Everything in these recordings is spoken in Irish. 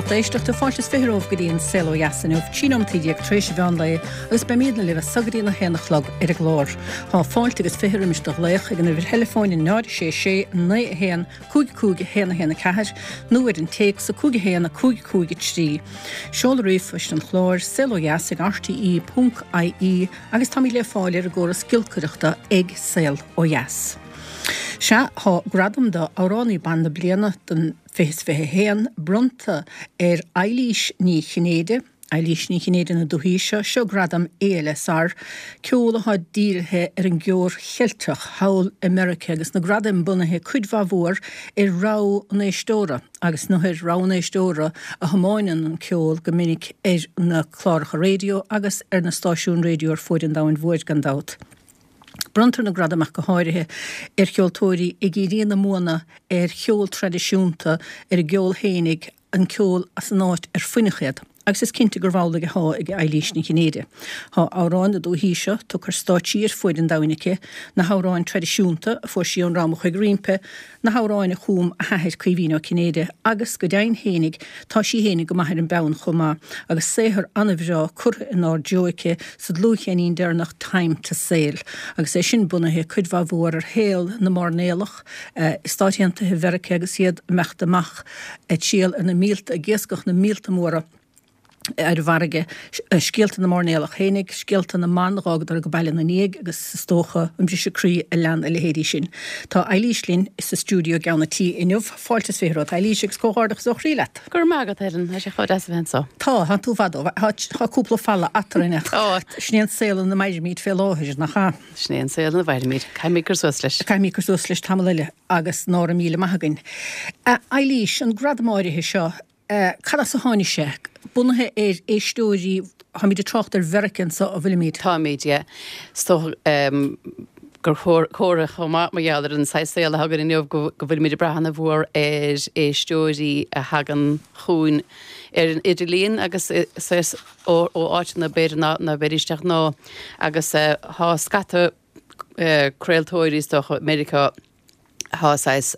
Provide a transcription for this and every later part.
lucht éisteachta, fáilte is romhaibh go dtí an Saol Ó Dheas inniu, 13 nóimeataí tar éis an mheán lae agus beimídne libh as so go dtí an 1 a chlog ar an gclár. Tá fáilte agus 20 roimis do ghlaoch ag an uimhir theileafóin 0 6 6 9 1 5 5 1 1 4 nó ar an téacs 5 1 5 5 3. Seoladh ríomhphoist an chláir, saolodheas ag rte.ie agus táimid le fáil ar an gcóras giolcaireachta ag Saol Ó Dheas. Sea, tá gradam do Amhránaí Ban na Bliana don 2021 bronnta ar Eilís Ní Chinnéide, Eilís Ní Chinnéide na dúthaí seo, seo gradam ALSR, ceol atá dírithe ar an gceol Cheilteach thall i Meiriceá agus na gradaim bunaithe cuid mhaith mhór ar rogha an éisteora agus nó ar rogha an éisteora a thiomáineann an ceol go minic ar na cláracha raidió agus ar na stáisiúin raidió ar fuaid an domhain mhóir gan dabht. Bronntar na gradaim ach go háirithe ar cheoltóirí ag iarraidh a mbuanna ar cheol traidisiúnta, ar a gceol fhéinig, an ceol as an áit ar fuineadh iad. Agus is cinnte gurbh amhlaidh athá ag Eilís Ní Chinnéide. Tá amhráin na dúthaí seo tugtha ar stáitsí ar fuaid an domhain aici, na hamhráin traidisiúnta a fuair sí ón dream a chuaigh roimpi, na hamhráin a chum a hathair Caoimhín Ó Cinnéide agus go deimhin fhéinig tá sí fhéinig go maith ar an bpeann chomh maith agus saothar an-bhreá curtha inár dtreo aici sa dlúthcheirnín deireanach Time to Sail agus é sin bunaithe cuid mhaith mhór ar shaol na mairnéalach i Stáit Aontaithe Mheiriceá agus iad ag imeacht amach ag triall ar na míolta, ag iascach na míolta móra. ar an bhfarraige, scéalta na mairnéalach fhéinig, scéalta na mban a dh'fhágadar go baile ina ndiaidh agus is dócha an briseadh croí a lean a leithéidí sin. Tá Eilís linn sa stiúideo i gceann an tí inniu. Fáilte is 20 romhat, Eilís, agus comhghairdeachas ó chroí leat. Go raibh maith agat, Helen. Tá sé chomh deas a bheith anseo. Tá, tá tú i bhfad ó tá cúpla falla eatarinn ach Tá. sin é an saol ina mairimid fé láthair, nach ea? Sin é an saol ina mhairimid. Caithfimid cur suas leis. Caithfimid cur suas leis tamall eile agus ná raibh míle maith againn. A Eilís, an gradam áirithe seo, Cad as a tháinig sé? Bunaithe ar éisteoirí, táimid ag trácht ar Mheiriceá anseo, an bhfuilimid? Táimid, yeah. Is dócha gur comhartha chomh maith mar gheall ar an saghas saol atá againn inniu go bhfuilimid ag brath ana-mhór ar éisteoirí a thagann chugainn ar an idirlíon agus saghas ó áiteanna b'fhéidir ná ná beidís de ghnáth agus tá scata craoltóirí is dócha i Meiriceá atá saghas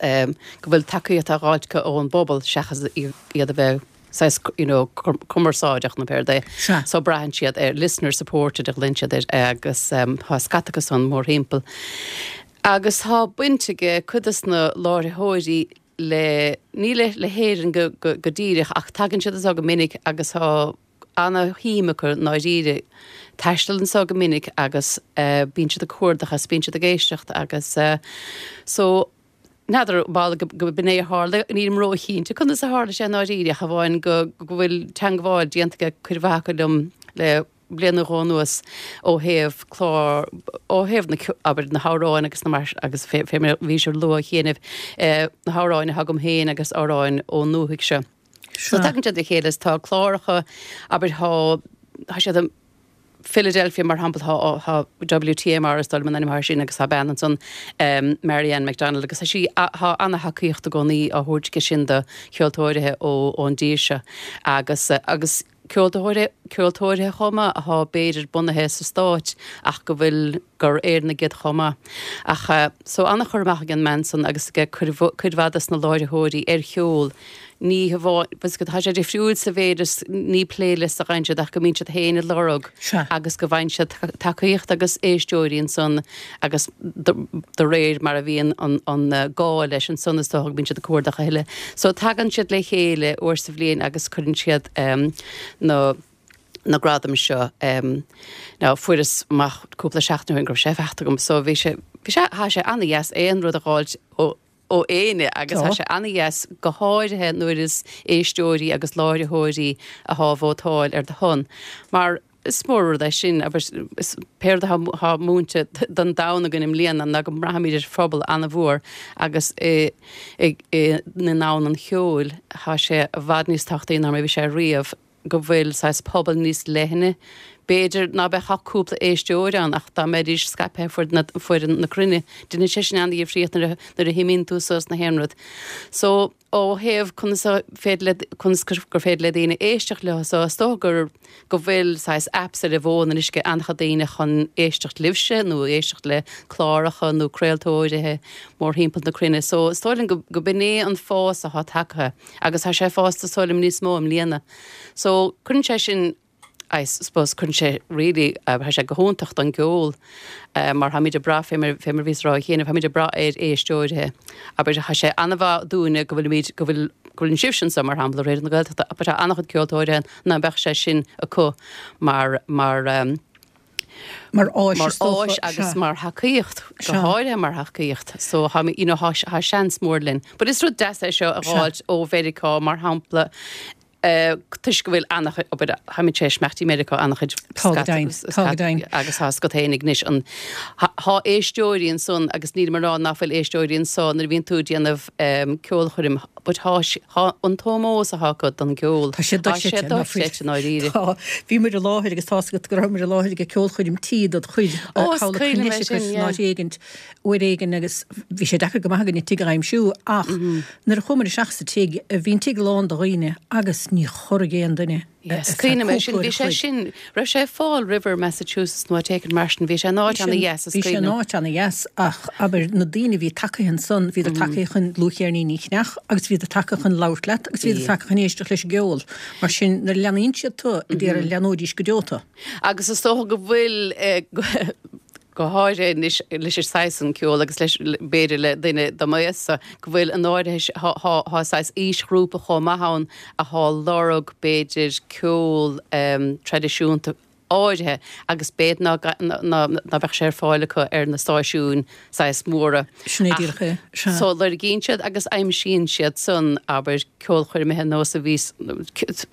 go bhfuil tacaíocht á dh'fháilt acu ón bpobal seachas iad a bheith saghas you know cumarsáideach nó pé rud é. Sea. So braitheann siad ar listener supported a ghlaonn siad air agus tá scata acu san mórthimpeall. Agus tá baint ag cuid des na láithreoirí le, ní le le hÉirinn go go go díreach ach tagann siad anseo go minic agus tá ana-shuim acu i ndáiríre taisteal anseo go minic agus bíonn siad ag cuardach agus bíonn siad ag éisteacht agus so n'fheadar ball go b'in é a tharla, nílim róchinnte conas a tharla sé i ndáiríre ach amháin go go bhfuil teangmháil déanta ag cuid mhaith acu liom le bliain nó dhó anuas ó thaobh clár, ó thaobh na, abair, na hamhráin agus na mar, agus fé, fé mar a bhí sé luaite cheana, na hamhráin atá agam féin agus amhráin ón ndúthaigh seo. So tagann siad le chéile is tá cláracha, abair tá, tá siad i Philadelphia mar shampla tá, tá WTMR is dóigh liom an ainm atá air sin agus tá bean ansan, Marianne McDonald agus tá sí, tá ana-thacaíocht i gcónaí á thabhairt aici sin do cheoltóirithe ó, ón dtír seo agus, agus ceoltóirithe, ceoltóirithe chomh maith atá b'fhéidir bunaithe sa Stáit ach go bhfuil, gur Éireannaigh iad chomh maith. Ach so an-chur amach ag an mbean san agus ag cuid, cuid mhaith dos na láithreoirí ar cheol. Ní hamháin, tá sé difriúil sa mhéid is ní playlist a fhaigheann siad ach go mbíonn siad féin ag lorg agus go bhfaigheann siad tacaíocht agus éisteoirí ansan agus de réir mar a bhíonn an gá leis ansan is dócha go mbíonn siad ag cuardach a thuilleadh. So tagann siad le chéile uair sa bhliain agus cuireann siad na na gradaim seo. Now fuaireas amach cúpla seachtain ó shin go raibh sé faighte agam so bhí sé, bhí sé, tá sé an-dheas aon rud a dh'fháilt ó ó éinne agus tá sé an-dheas go háirithe nuair is éisteoirí agus láithreoirí athá ag vótáil ar do shon mar is mór rud é sin agus is pé rud athá múinte don domhan againn i mbliana ná go mbraithimid ar phobal an-mhór agus i i i ndomhan an cheoil tá sé i bhfad níos tábhachtaí ná mar a bhí sé riamh go bhfuil saghas pobal níos leithne. B'fhéidir ná beadh ach cúpla éisteoir ann ach dá mbeidís scaipthe ar fud na na cruinne, déanann sé sin an-dhifríocht nuair a nuair a shuimíonn tú suas na haon rud. So, ó thaobh conas a féidir le conas gur féidir le daoine éisteacht leo so is dócha gur go bhfuil saghas apps ar an bhfón anois ag an-chuid daoine chun éisteacht libhse nó éisteacht le cláracha nó craoltóirithe mórthimpeall na cruinne. So is dóigh liom go go b'in é an fás atá tagtha agus tá sé fásta is dóigh liom níos mó i mbliana. So cuireann sé sin I suppose cuireann sé really, tá sé go hiontach don gceol mar táimid ag brath, fé mar, fé mar bhíos ag rá cheana, táimid ag brath ar éisteoirithe. Abair, tá sé an-mhaith dúinne go bhfuilimid, go bhfuil, go bhfuil sibhse anseo mar shampla, Raidió na Gaeltachta, but tá an-chuid ceoltóirithe ann ná beadh sé sin acu mar, mar, Mar áis, mar is dócha, áis agus sea. mar thacaíocht, go Sea. háirithe mar thacaíocht. So tá, you know, tá, tá seans mór linn. But is rud deas é seo a Sea. dh'fháilt ó Mheiriceá mar shampla, toisc go bhfuil an-chuid, abair, táimid tar éis imeacht i Meiriceá an-chuid Tá go deimhin, tá go deimhin. agus tá 'fhios agat fhéinig anois an, thá éisteoirí ansan agus nílim ag rá ná fuil éisteoirí anso nuair a bhíonn tú ag déanamh ceolchoirm but thá, thá an t-ómós athá acu don gceol, Tá sé tá sé dochreidte, ná fuil? dochreidte i ndáiríre. Tá, bhí muid i láthair agus tá's agat go raibh muid i láthair ag ceolchoirm tí dod chuid, Ó, is thall i cuimhin liom é Connecticut sin, in yeah. áit éigint, uair éigin agus bhí sé deacair go maith againn an tigh a aimsiú ach Nuair a chuamar isteach sa tigh, bhí an tigh lán de dhaoine agus ní chorraigh aon duine ar feadh cúpla uair a chloig. Sin, raibh sé i Fall River, Massachusetts nó áit éicint mar sin, bhí sé in áit ana-dheas is cuimhin liom. Bhí sé in áit ana-dheas ach, abair, na daoine a bhí tagtha ansan, bhíodar tagtha chun dlúthcheirníní a cheannach agus bhíodar tagtha chun labhairt leat agus bhíodar tagtha chun éisteacht leis an gceol. Mar sin, nuair a leanaíonn siad tu, d'iarraidh leanóidís go deo tu. Agus is dócha go bhfuil, go háirithe anois leis an saghas san ceoil agus leis, b'fhéidir le duine do m'aois-sa, go bhfuil an áirithe, thá saghas aoisghrúpa chomh maith ann athá lorg, b'fhéidir, ceol traidisiúnta áirithe agus b'fhéidir ná ná bheadh sé ar fáil acu ar na stáisiúin saghas móra. Sin é díreach é. Sea. So lorgaíonn siad agus aimsíonn siad san, abair, ceolchoirmithe nós a bhí,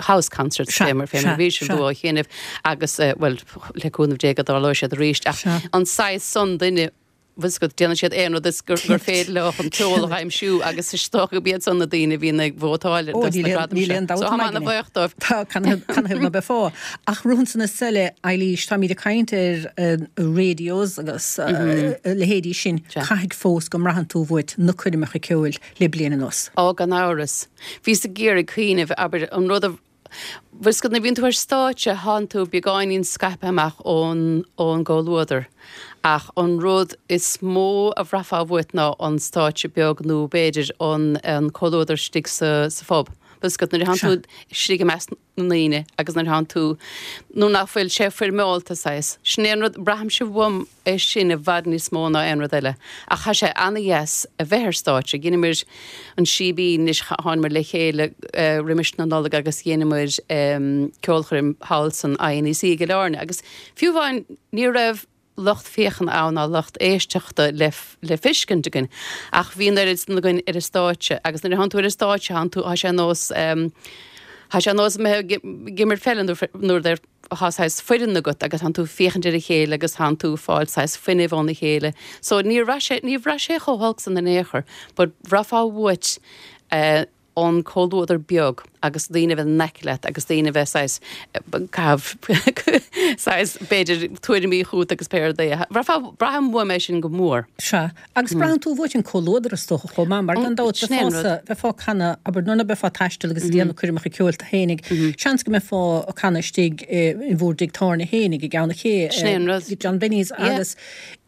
house concerts fé mar fé mar a bhí siad á dhéanamh agus, bhuel, le cúnamh Dé go dtarlóidh siad arís ach an saghas san duine, bhfuil 'fhios agat, déanann siad aon rud is gur féidir leo chun ceol a aimsiú agus is dócha gurb iad san na daoine a bhíonn ag vótáil dos na gradaim seo. So táim ana-bhuíoch dóibh. Tá, canathaobh ná beifeá. Ach rud ansan is eile, Eilís, táimid ag caint ar radios agus a leithéidí sin, caithfidh fós go mbraitheann tú uait na coirmeacha ceoil le bliain anuas. Á, gan amhras. Bhíos ag iarraidh cuimhneamh, abair, an rud a Bhfuil 'fhios agat nuair a bhíonn tú ar stáitse thánn tú beagáinín scaipthe amach ón ón gcomhluadar ach an rud is mó a bhraithfeá uait ná an stáitse beag nó b'fhéidir an an comhluadar istigh sa sa phub. Bhfuil 'fhios agat nuair a thánn tú istigh i measc na ndaoine agus nuair a thánn tú nuair nach bhfuil sé foirmeálta saghas. Sin é an rud, braithimse uaim é sin i bhfad níos mó ná aon rud eile. Ach tá sé ana-dheas a bheith ar stáitse. Dheineamar an Síbín anois, thánamar le chéile roimis na Nollag agus dheineamar ceolchoirm thall san INEC i gCill Airne agus fiú amháin ní raibh lucht féachana ann ná lucht éisteachta le le feiscint againn ach bhí an oiread san againn ar an stáitse agus nuair a thánn tú ar an stáitse thánn tú, tá sé ar nós, tá sé ar nós a bheith ag imirt peile nuair thá saghas foireann agat agus thánn tú ag féachaint ar a chéile agus thánn tú ag fáil saghas fuinnimh óna chéile. So níor bhraith sé, níor bhraith sé chomh holc san in aon chor but bhraithfeá uait eh an comhluadar beag agus daoine a bheith in aice leat agus daoine a bheith saghas caitheamh saghas b'fhéidir tuairimí chugat agus pé rud é. Bhraithfeá, braithim uaim é sin go mór. Sea. Agus braitheann tú uait an comhluadar is dócha chomh maith, mar gan dabht bheifeása, bheifeá ag canadh, abair, nuair ná beifeá ag taisteal agus ag déanamh coirmeacha ceoil tú fhéinig, seans go mbeifeá ag canadh istigh in bhúr dtigh tábhairne fhéinig i gCeann an Ché, John Benny's agus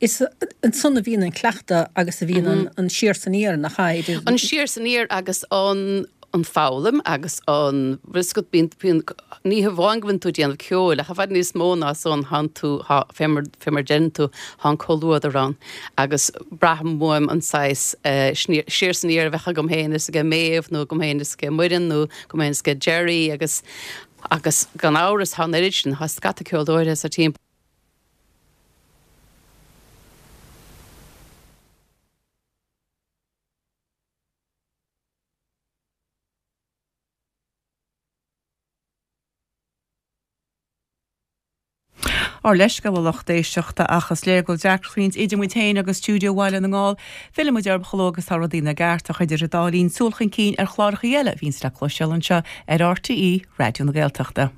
is ansan a bhíonn an cleachtadh agus a bhíonn an siar 's aniar, nach ea, idir. An siar 's aniar agus an an foghlaim agus an bhfuil 'fhios agat, bíonn, bíonn, ní hamháin go bhfuil tú ag déanamh ceoil ach i bhfad níos mó ná san thánn tú, thá, fé mar, fé mar deireann tú, thá an comhluadar ann agus braithim uaim an saghas eh, siar 's aniar a bheadh agam féin is age Méabh nó agam féin is age Muireann nó agam féin is age Gerry agus, agus gan amhras thá an oiread sin, thá scata ceoltóirí sa timpeall. Ár leithscéal a lucht éisteachta ach is léir go bhfuil deacracht idir muid féin agus stiúideo Bhaile na nGall. Fillfidh muid orthu chomh luath agus tá rudaí ina gceart ach idir an dá linn súil chun cinn ar chláracha eile a bhíonns le cloisteáil anseo ar RTÉ Raidió na Gaeltachta.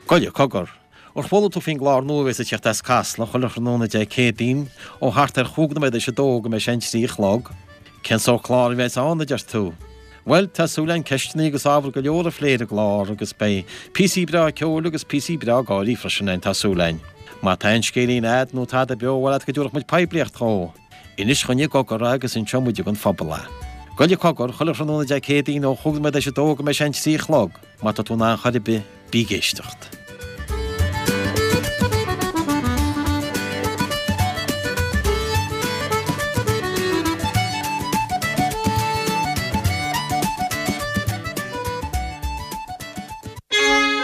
Gabhaile cogar. Ar chuala tú faoin gclár nua a bheas ag teacht as Casla chuile thráthnóna Dé Céadaoin ó thart ar chúig nóiméad théis a dó go mbeidh sé an trí a chlog? Cén sórt clár a bheas ann, a deir tú? Bhuel, tá súil againn ceisteanna agus ábhar go leor a phlé ar an gclár agus beidh píosaí breá ceoil agus píosaí breá gáirí freisin ann, tá súil againn. Má tá aon scéilín a'd nó tada beo ar mhaith leat go dtabharfadh muid poiblíocht dhó, inis dhuinn i gcogar é agus inseoidh muide don phobal é. Gabhaile cogar, chuile thráthnóna Dé Céadaoin ó chúig nóiméad théis a dó go mbeidh sé an trí a chlog. Má tá tú in ann chor ar bith, bí ag éisteacht.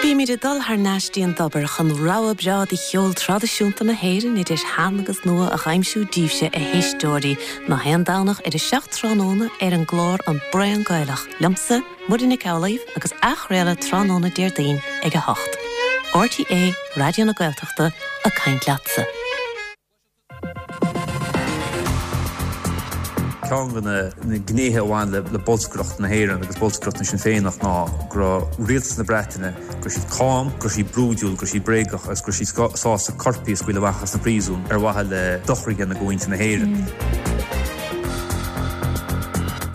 Bímid ag dul thar n-ais dtí an dtobar chun rogha breá de cheol traidisiúnta na hÉireann, idir shean agus nua, a dh'aimsiú daoibhse, a éisteoirí, nach aon Domhnach ar a 7 tráthnóna ar an gclár An Braon Gaelach, liomsa, Muireann Nic Amhlaoibh agus athchraoladh tráthnóna Déardaoin ag 8. RTÉ Raidió na Gaeltachta ag caint leatsa. Ceann de na gnéithe a bhain le bolscaireacht na hÉireann agus bolscaireacht na Sinn Féineach ná go raibh rialtas na Breataine, go raibh siad cam, go raibh siad brúidiúil, go raibh siad bréagach agus go raibh siad sásta coirpigh a scaoileadh amach as na príosúin ar mhaithe le dochar a dhéanamh do mhuintir na hÉireann.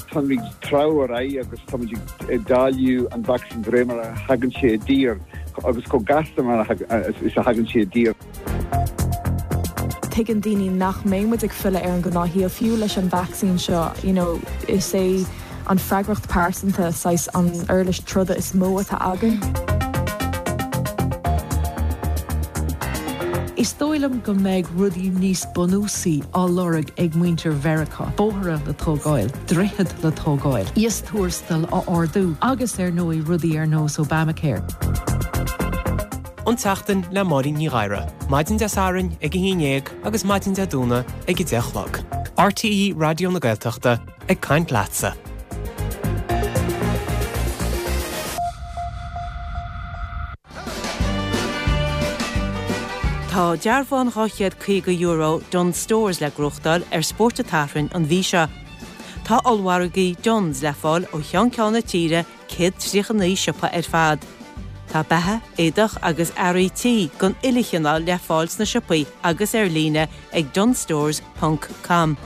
Táimid ag treabhadh ar aghaidh agus táimid ag dáileadh an vacsaín de réir mar a thagann sé i dtír agus chomh gasta mar is a thagann sé i dtír. Tuigeann daoine nach mbeidh muid ag filleadh ar an ngnáthshaol, fiú leis an vacsaín seo. You know, is é an freagracht pearsanta saghas an uirlis troda is mó atá againn. Is dóigh liom go mbeidh rudaí níos bunúsaí á lorg ag muintir Mheiriceá, bóithre le tógáil, droichead le tógáil, íostuarastail á ardú agus ar ndóigh rudaí ar nós Obamacare. An tSeachtain le Máirín Ní Ghadhra, maidin Dé Sathairn ag 11 agus maidin Dé Domhnaigh ag 10 a chlog. RTÉ Raidió na Gaeltachta ag caint leatsa. Tá dearbhán €250 Dunnes Stores le gnóthachtáil ar Spórt an tSathairn an mhí seo. Tá ollmhargaí Dunnes le fáil ó cheann ceann na tíre, 139 siopa ar fad. Tá beatha, éadach agus earraí tí den uile chineál le fáil sna siopaí agus ar líne ag dunnesstores ponc com.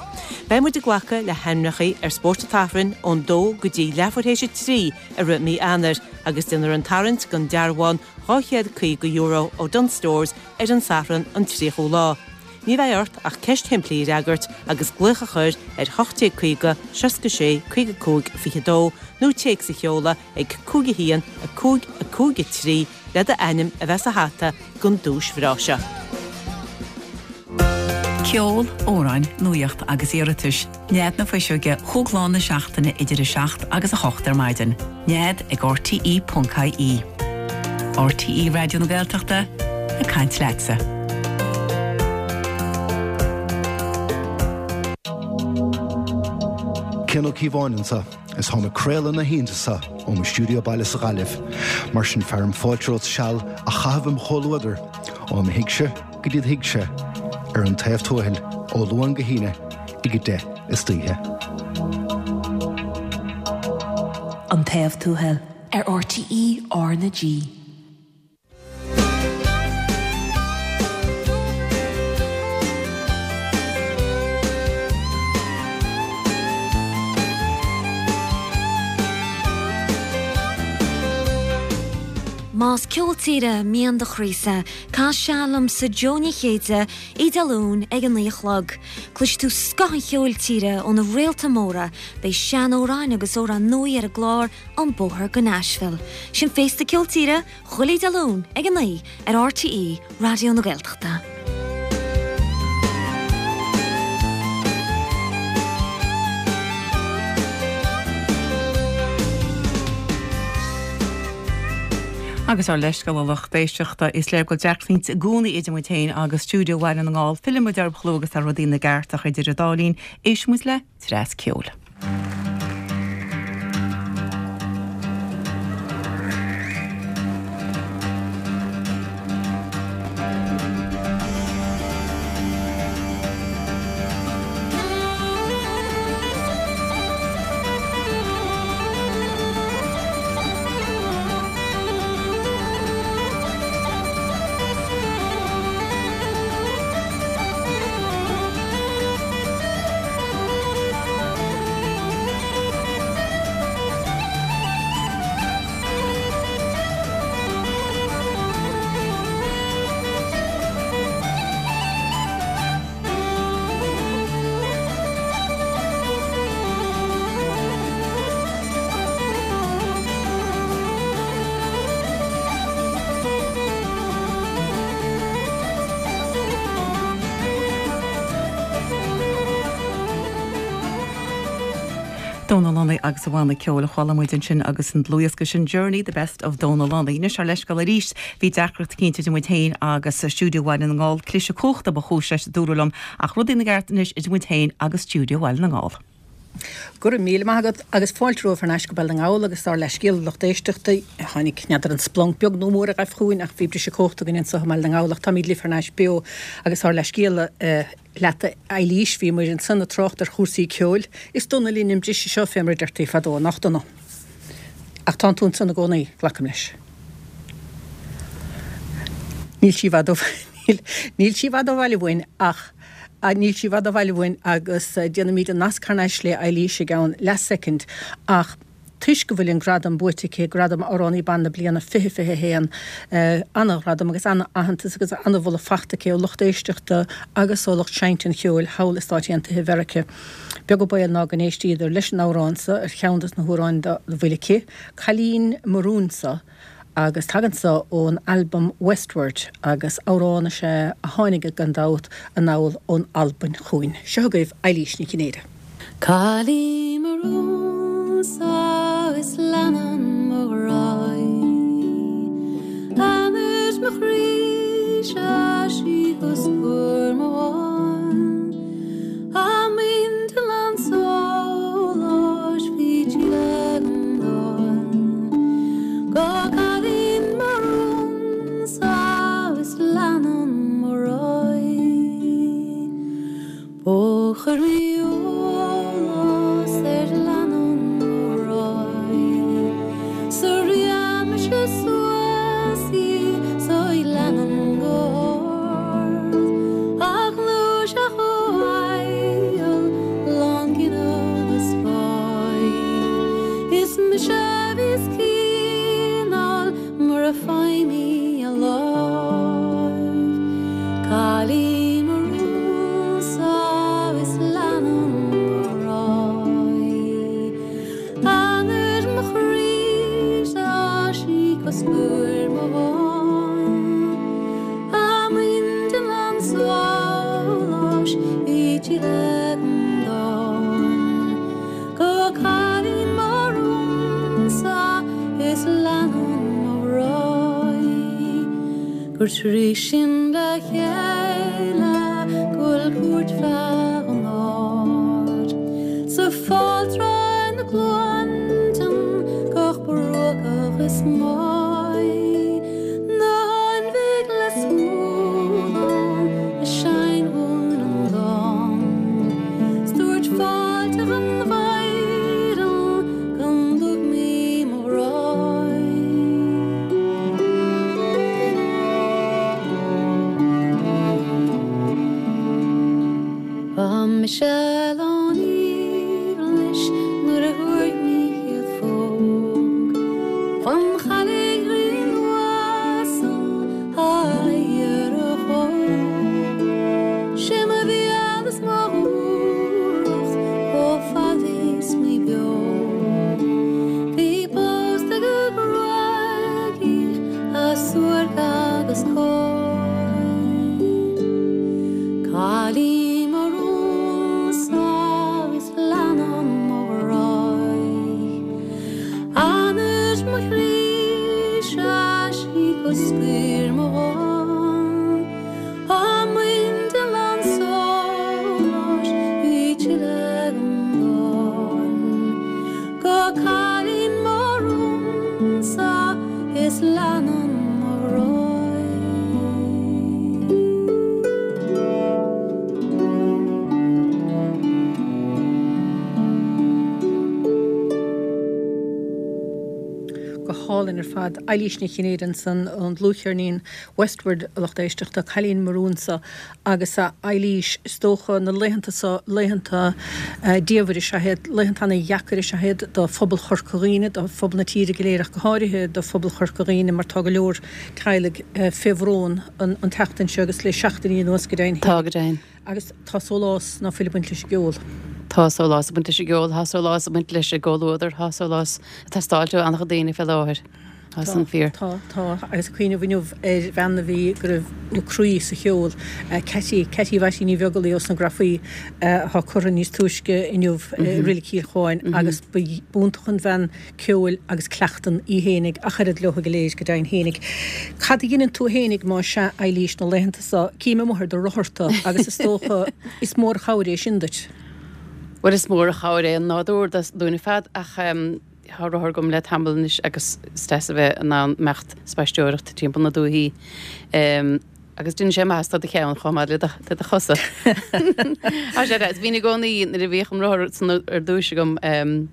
Beidh muid ag glacadh le hainmneacha ar Spórt an tSathairn ón dó go dtí leathuair théis a 3 i rith mí Eanáir agus déanfar an tarraingt don dearbhán €250 ó Dunnes Stores ar an Satharn an 30ú lá. Ní bheidh ort ach ceist shimplí a fhreagairt agus glaoch a chur ar 1850 66 55 22 nó téacs a sheoladh ag 5 1 5 5 3 le d'ainm a bheith sa hata don duais bhreá seo. Ceol, amhráin, nuaíocht agus iarratais. Nead na Fuiseoige chúig lá na seachtaine idir 7 agus 8 ar maidin. Nead ag rte ponc ie. RTÉ Raidió na Gaeltachta, ag caint leatsa. Cian Ó Cíobháin anseo. Is táim ag craoladh na hoícheanta seo ó mo stiúideo baile sa Ghaillimh. Mar sin fearaim fáilte romhat seal a chaitheamh im chomhluadar, ó mo thigse go dtí do thigse, ar An Taobh Tuathail, ó Luan go hAoine, ag 10 istoíche. An Taobh Tuathail ar RTÉ R na G. Más ceol tíre mian do chroísa, caith seal liomsa Jó Ní Chéide, oíche Dé Luain ag a 9 a chlog. Cloisfidh tú scoth an cheoil tíre ó na réalta móra, beidh sean-amhráin agus amhráin nua ar an gclár An Bóthar go Nashville. Sin Féasta Ceol Tíre, chuile Dé Luain ag 9 ar RTÉ Raidió na Gaeltachta. Agus ár leithscéal a lucht éisteachta, is léir go bhfuil deacrachtaí i gcónaí idir muid féin agus stiúideo Bhaile na nGall. Fillfidh muid orthu chomh luath agus tá rudaí ina gceart ach idir an dá linn, éistfidh muid le dreas ceoil. Dónal Lunny agus a bhanna ceoil a chuala muid ansin agus an dlúthdhiosca sin Journey, The Best of Dónal Lunny. Anois ár leithscéal arís, bhí deacracht eicínt idir muid féin agus Stiúideo Bhaile na nGall, cliseadh cumhachta ba chúis leis, a dúradh liom, ach rudaí ina gceart anois idir muid féin agus Stiúideo Bhaile na nGall. Go raibh míle maith agat agus fáilte romhaibh thar n-ais go Baile na nGall agus ár leithscéal a lucht éisteachta. Tháinig, n'fheadar an splanc beag nó mór a ghaibh chugainn ach bhí briseadh cumhachta againn anseo i mBaile na nGall ach táimid libh thar n-ais beo agus ár leithscéal a leat a Eilís, bhíomair ansan ag trácht ar chúrsaí ceoil. Is dona linn an briseadh seo fé mar a deirtí fadó, nach dona? Ach tánn tú ansan i gcónaí, glacaim leis. Níl sí i bhfad ó níl sí i bhfad ó bhaile uainn ach níl sí i bhfad ó bhaile uainn agus déanfaimid an nasc thar n-ais le Eilís i gceann leathsoicind ach Toisc go bhfuil an gradam buaite aici, Gradam Amhránaí Ban na Bliana 2021, ana-ghradam agus ana-aitheantas agus ana-mholadh fachta aici ó lucht éisteachta agus ó lucht seinnte an cheoil thall i Stáit Aontaithe Mheirice. Beag an baol ná go n-éistíodar leis an amhrán so ar cheann dos na hamhráin dá bhfuil aici, Cailín mo Rúin-sa, agus tagann so ón albam Westward agus amhrán is ea a tháinig gan dabht anall ón Albain chugainn. Seo agaibh Eilís Ní Chinnéide. Cailín mo rún-sa is leanann mo ghrá í. Anaird mo chroí-se sí cuspóir mo dháin. A muintir lán sóláis bhí sí agam dáin. Go cailín mo rún-sa is leanann mo ghrá í. Ó chuir mé eolas ar leanann mo ghrá í 's a rian mise suas í 's í leanann go hard a ghluaiseach ó aill lán grinn agus báidh is mise a bhíos cineál mura bhfaighim í a láimh. Cailín mo rún-sa is leanann mo ghrá í. Anaird mo chroí-se sí cuspóir mo dháin. A muintir lán sóláis bhí tuilleadh den dán. Go cailín mo rún-sa is leanann mo ghrá í. Gur trí sinn le chéile go bhfuil cuairt feadh an áir. Sa fáilte na gcluaintean gach bruacach is maigh. Na hainmhigh le smúdán a sheinn dhúinn an dán. 'S dúirt fáilte an mhaighdean go dtug mé mo ghráí. Ba mise lán aoibhnis nuair a fuair mé chéad phóg An chailligh ghrinn uasal aghaidh ar a hóg. Sé mo mhian is mo dhúthracht chomh fada is mé beo. Bhí pósta go gruagaigh as suairc agus cóir. Cailín mo rún-sa is leanann mo ghrá í. Anaird mo chroí-se sí cuspóir mo dhán. A muintir lán sóláis bhí tuilleadh den dán. Go cailín mo rún-sa is leanann mo ghrá í. Go hálainn ar fad. Eilís Ní Chinnéide ansan ón dlúthcheirnín Westward, a lucht éisteachta, Cailín mo Rún-sa agus a Eilís, is dócha na laethanta so, laethanta diamhair is ea iad, laethanta ana-dheacair is ea iad do phobal Chorca Dhuibhne, do phobal na tíre go léir ach go háirithe do phobal Chorca Dhuibhne mar tá go leor teaghlaigh fé bhrón an tseachtain seo agus le seachtainí anuas go deimhin. Tá go deimhin. Agus tá sólás ná fuil ag baint leis an gceol. Tá sólás ag baint leis an gceol, tá sólás ag baint leis an gcomhluadar, tá sólás ag teastáilt ó an-chuid daoine fé láthair. Tá san fíor. Tá, tá. Agus ag cuimhneamh inniu ar bhean a bhí, go raibh a croí sa cheol, Ceaití, Ceaití Mhaití Ní Bheaglaoí ós na Grafaí, atá curtha níos túisce inniu i Reilig Chill Chuáin agus ba iontach an bhean ceoil agus cleachtan í fhéinig ach oiread leo go léir, go deimhin fhéinig. Cad a dheineann tú fhéinig más ea, Eilís, na laethanta so? Cím amuigh ar do rothar tú agus is dócha is mór an chabhair é sin duit. Bhuel is mór an chabhair é an nádúr dúinn ar fad ach Tá rothar agam le tamall anois agus is deas a bheith in ann imeacht ag spaisteoireacht timpeall na dúichí. Agus déanann sé maitheas do do cheann chomh maith le do chosa. Tá sé deas. Bhínn i gcónaí nuair a bhíodh an rothar san ar dtúis agam,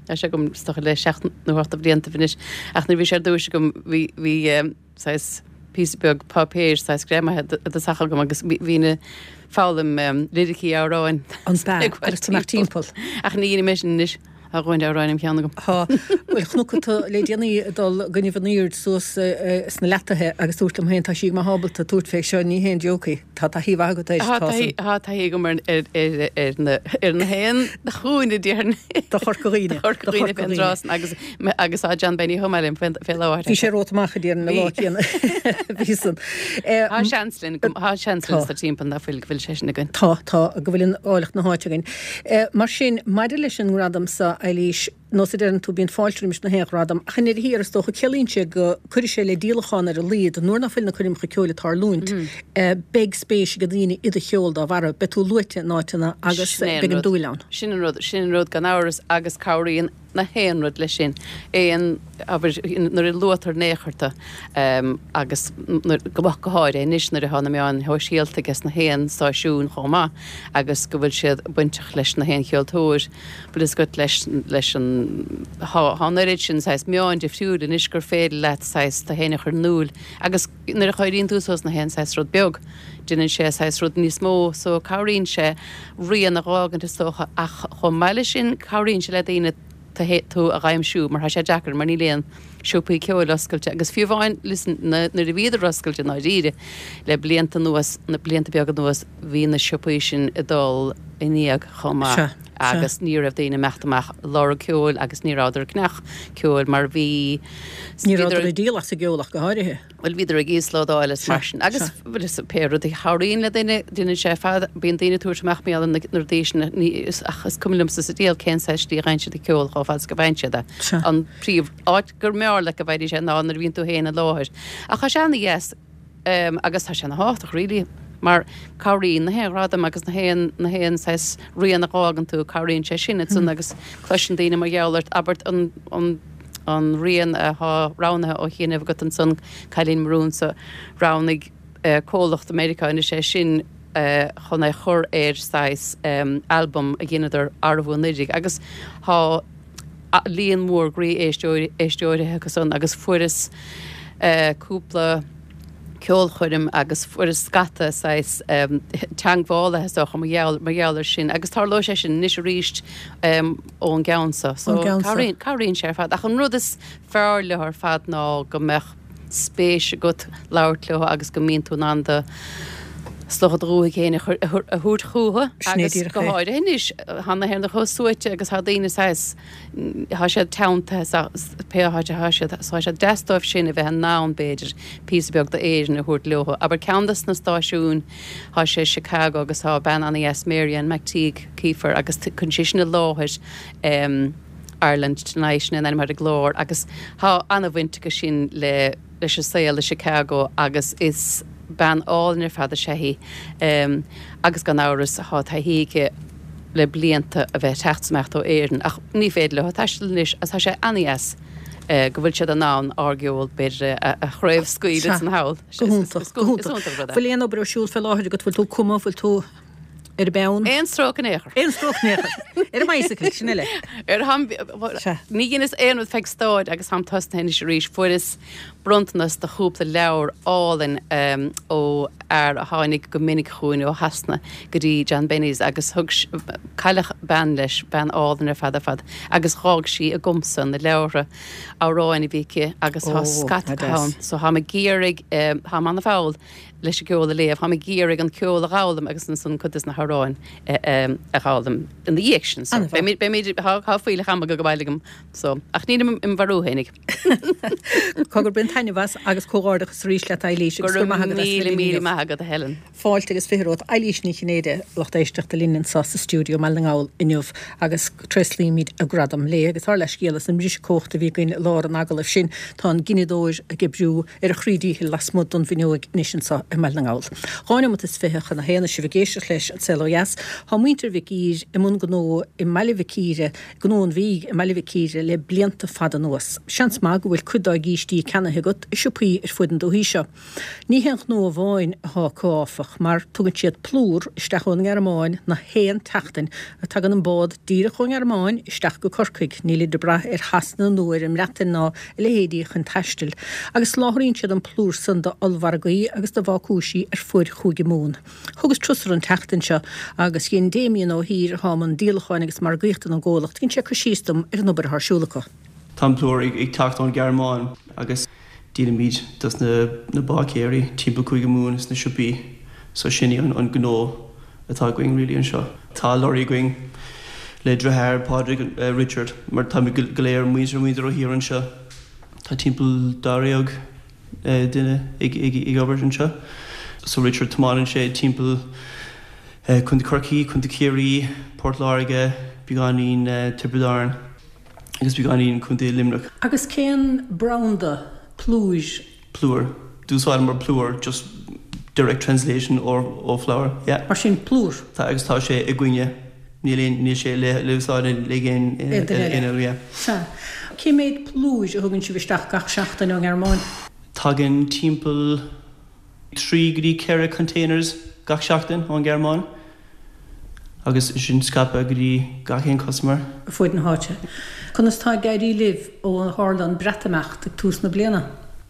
tá sé agam is dócha le seacht nó ocht de bhliantaibh anois, ach nuair a bhí sé ar dtúis agam bhí, bhí, saghas píosa beag páipéir saghas greamaithe i dtosach agam agus bhínn ag foghlaim liricí amhráin. An b'ea? Agus tú amach timpeall. Ach ní dheinim é sin anois. Tá a dhóthain amhráin im cheann agam. Tá. Bhuel, chonac tú le déanaí ag dul i gcoinnibh an aoird suas sna Leataithe agus dúrt liom féin tá sí go maith ábalta tabhairt fé seo, ní haon joke í. Tá taithí mhaith agat air. Tá san. Tá taithí agam ar ar na ar na haon chúinne déarfainn. Do Chorca Dhuibhne. Do Chorca Dhuibhne fén dtráth san agus agus tá John Benny chomh maith liom fé fé láthair. Bhí sé romhat amach a déarfainn an lá céanna. Bhí san. Tá seans linn tá seans linn sa timpeall ná fuil go bhfuil sé sin againn. Tá tá go bhfuil an áilleacht na háite againn. Mar sin maidir leis an ngradam so Eilís, Nós a deireann tú, bíonn fáilte roimis na haon ghradam, ach i ndeireadh thiar, is dócha, ciallaíonn sé go cuirfidh sé le díolachán ar a laghad, nuair ná fuil na coirmeacha ceoil ag tarlúint, beidh spéis ag daoine i do cheol dá bharra, beidh tú luaite in áiteanna agus beidh an dúil ann. Sin an rud, sin an rud gan amhras agus cabhraíonn na haon rud leis sin. Aon, abair, nuair a luaitear in aon chor tú agus nuair, go go háirithe anois nuair atá na meáin shóisialta ages na haon stáisiún chomh maith agus go bhfuil siad bainteach leis na haon cheoltóir. Bhfuil fhios agat leis, leis an, thá, thá an oiread sin saghas meáin difriúil anois gur féidir leat saghas tú fhéin a chur in iúil agus nuair a chuireann tú suas na haon saghas rud beag, déanann sé saghas rud níos mó so cabhraíonn sé rian a dh'fhágaint is dócha ach chomh maith leis sin cabhraíonn sé le daoine tú, tú a dh'aimsiú mar thá sé deacair mar níl aon siopaí ceoil oscailte agus fiú amháin listen nuair a bhíodar oscailte i ndáiríre le blianta anuas, na blianta beaga anuas, bhí na siopaí sin ag dul in éag chomh maith agus ní raibh daoine ag imeacht amach ag lorg ceoil agus ní rabhadar ag ceannach ceoil mar bhí Ní rabhadar ag díol as an gceol ach go háirithe. Bhuel bhíodar ag íoslódáil is mar sin agus bhuel is pé rud a chabhraíonn le duine, déanann sé ar fad, bíonn daoine ag tabhairt amach mar gheall ar na rudaí sin ach is cuma liomsa sa diabhal cén saghas slí a bhfaigheann siad an ceol chomh fada is go bhfaigheann siad é. An príomh áit gur mb'fhearr leat go bhfaighidís é ná nuair a bhíonn tú féin i láthair. Ach tá sé ana-dheas. Agus tá sé ana thábhachtach really mar cabhraíonn na haon ghradam agus na haon, na haon saghas rian a dh'fhágann tú, cabhraíonn sé sin ansan agus cloiseann daoine mar gheall ort, abair an, an, an rian athá roghnaithe ó chianaibh agat ansan, Cailín mo Rúnsa, roghnaigh comhlacht i Meiriceá anois é sin chun é chur ar saghas albam a dheineadar arbú anuraidh agus thá líon mór groí-éisteoirí acu san agus fuaireas cúpla ceolchoirm agus fuaireas scata saghas teagmhálaithe is dócha mar gheall mar gheall ar sin agus tarlóidh sé sin anois arís ón gceann so. So cabhraíonn cabhraíonn sé ar fad ach an rud is fearr leo ar fad ná go mbeadh spéis agat labhairt leo agus go mbíonn tú in ann do is dócha do dhúthaigh féin a thabhairt chucu agus go háirithe anois tá na hÉireannaigh chomh suaite agus tá daoine saghas tá siad teanntaithe pé áit atá siad so tá sé deas dóibh sin a bheith in ann b'fhéidir píosa beag d'Éirinn a thabhairt leo. Abair ceann des na stáisiúin tá sé i Chicago agus tá bean ana-dheas Mary Ann McTeague Keefer agus cuireann sí sin i láthair Ireland Tonight, sin é an ainm ar an gclár, agus tá an-bhaint acu sin le leis an saol i Chicago agus is bean álainn ar fad is ea í agus gan amhras tá taithí aici le blianta a bheith ag teacht is imeacht ó Éirinn ach ní féidir leo taisteal anois agus tá sé an-dheas go bhfuil siad in ann ár gceol b'fhéidir a chraobhscaoileadh san thall. Go hiontach, go hiontach. Bhfuil aon obair ar siúl fé láthair agat, bhfuil tú ag cumadh, bhfuil tú. Ar an bpeann. Aon stróc in aon chor. Aon stróc in aon chor. Ar an mbicycle, sin eile. Ar tham, ní dheineas aon rud feadh staid agus táim tosnaithe anois arís. Fuaireas bronntanas de chúpla leabhar álainn ó fhear a tháinig go minic chugainn ó Shasana go dtí John Benny's agus thug, cailleadh bean leis, bean álainn ar fad ar fad, agus dh'fhág sí agamsa na leabhartha amhráin a bhí aici agus tá scata acu ann. So táim ag iarraidh, táim ana-mhall. leis an gceol a léamh, táim ag iarraidh an ceol a dh'fhoghlaim agus ansan cuid des na hamhráin a dh'fhoghlaim ina dhiaidh sin. So beimid, beimid, tá, tá fuílleach ama ag dul abhaile agam so, ach nílim im mharú fhéinig. Cogar, bain taitneamh as agus comhghairdeachas arís leat Eilís agus go raibh maith agat as a bheith linn inniu. Go raibh míle míle maith agat a Helen. Fáilte agus 20 romhat Eilís Ní Chinnéide, lucht éisteachta linn anseo sa stiúideo i mBaile na nGall inniu agus tréaslaímid a gradam léi agus ár leithscéal as an mbriseadh cumhachta a bhí againn i lár an agallaimh sin. Tá an gineadóir ag oibriú ar a chroí díchill lasmuigh don bhfuinneoig anois anseo i mBaile na nGall. Dhá neomat is 20 chun a haon is sibh ag éisteacht leis An Saol Ó Dheas. Tá muintir Mhic Ír i mbun gnó i mBaile Mhic Íre, Gnó an Mhídh i mBaile Mhic Íre le blianta fada anuas. Seans maith go bhfuil cuid dá gcístí ceannaithe agat i siopaí ar fuaid an dúthaigh seo. Ní haon ghnó amháin athá acu áfach, mar tugann siad plúr isteach ón nGearmáin na haon tseachtain. Tagann an bád díreach ón nGearmáin isteach go Corcaigh, nílid ag brath ar Shasana nó ar an mBreatain ná a leithéidí chun taistil, agus soláthraíonn siad an plúr san do ollmhargaí agus do bhácúisí ar fuaid Chúige Mumhan. Thugas turas orthu an tseachtain seo agus dhein Damien Ó hÍr, athá i mbun díolacháin agus margaíochta don gcomhlacht, dhein sé cur síos dom ar an obair athá ar siúl acu. Tá an plúr ag teacht ón Ghearmáin agus díolaimid dos na báicéirí timpeall Cúige Mumhan sna siopaí so sin í an gnó atá againn really anseo. Tá lorry againn le deartháir Pádraig, Richard, mar táimid go léir muintir muintir Ó hÍr anseo. Tá timpeall dáréag duine ag obair anseo. So Richard tiomáineann sé timpeall Contae Chorcaí, Contae Chiarraí, Port Láirge, beagáinín Tiobraid Árann. agus beagáinín Contae Luimneach. Agus cén branda plúir? Plúr. D'úsáideamar plúr just direct translation ó flour, yeah. Mar sin plúr. Tá agus tá sé againne. Níl aon, níl sé le le úsáid ag aon duine eile, yeah. Sea. Cé mhéad plúir a thugann sibh isteach gach seachtain ón nGearmáin? Tagann timpeall 3 go dtí 4 containers gach seachtain ón nGearmáin agus sin scaipthe go dtí gach aon customer. ar fuaid na háite. Conas tá ag éirí libh ó tharla an Breatimeacht ag tús na bliana?